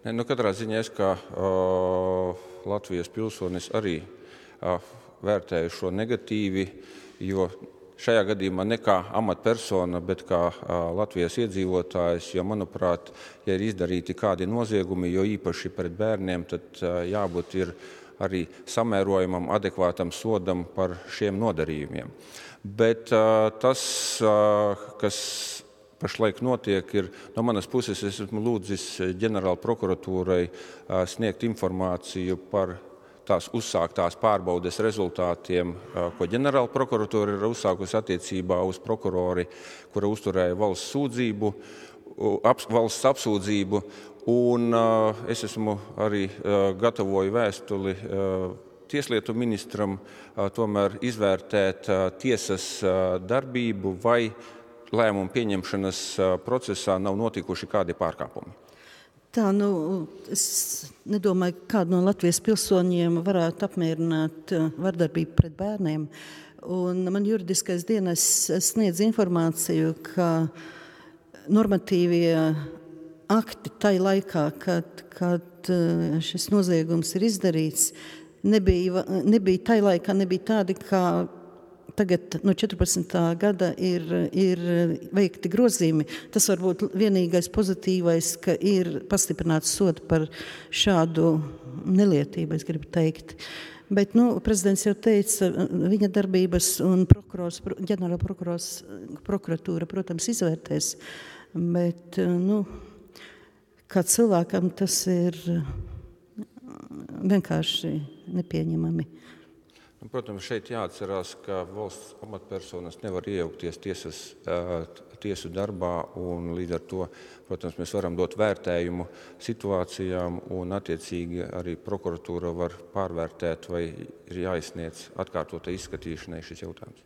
Katrā ziņā es kā Latvijas pilsonis arī vērtēju šo negatīvi, jo šajā gadījumā ne kā amatpersona, bet kā Latvijas iedzīvotājs, jo, manuprāt, ja ir izdarīti kādi noziegumi, jo īpaši pret bērniem, tad jābūt ir arī samērojamam, adekvātam sodam par šiem nodarījumiem. Bet tas, kas pašlaik notiek, ir no manas puses, es esmu lūdzis ģenerāla prokuratūrai sniegt informāciju par tās uzsāktās pārbaudes rezultātiem, ko ģenerāla prokuratūra ir uzsākusi attiecībā uz prokurori, kura uzturēja valsts sūdzību, valsts apsūdzību, un es esmu arī gatavoju vēstuli Tieslietu ministram tomēr izvērtēt tiesas darbību vai lēmumu pieņemšanas procesā nav notikuši kādi pārkāpumi. Tā, es nedomāju, ka kādu no Latvijas pilsoņiem varētu apmierināt vardarbību pret bērniem. Un man juridiskais dienests sniedz informāciju, ka normatīvie akti tai laikā, kad šis noziegums ir izdarīts, nebija tai laikā tādi, kā tagad no 14. gada ir veikti grozījumi. Tas varbūt vienīgais pozitīvais, ka ir pastiprināts sods par šādu nelietību, es gribu teikt. Bet, prezidents jau teica, viņa darbības un ģenerāla prokuratūra, protams, izvērtēs, bet, kā cilvēkam tas ir vienkārši nepieņemami. Protams, šeit jāatcerās, ka valsts amatpersonas nevar iejaukties tiesu darbā, un līdz ar to, protams, mēs varam dot vērtējumu situācijām, un attiecīgi arī prokuratūra var pārvērtēt, vai ir jāizsniedz atkārtotai izskatīšanai šis jautājums.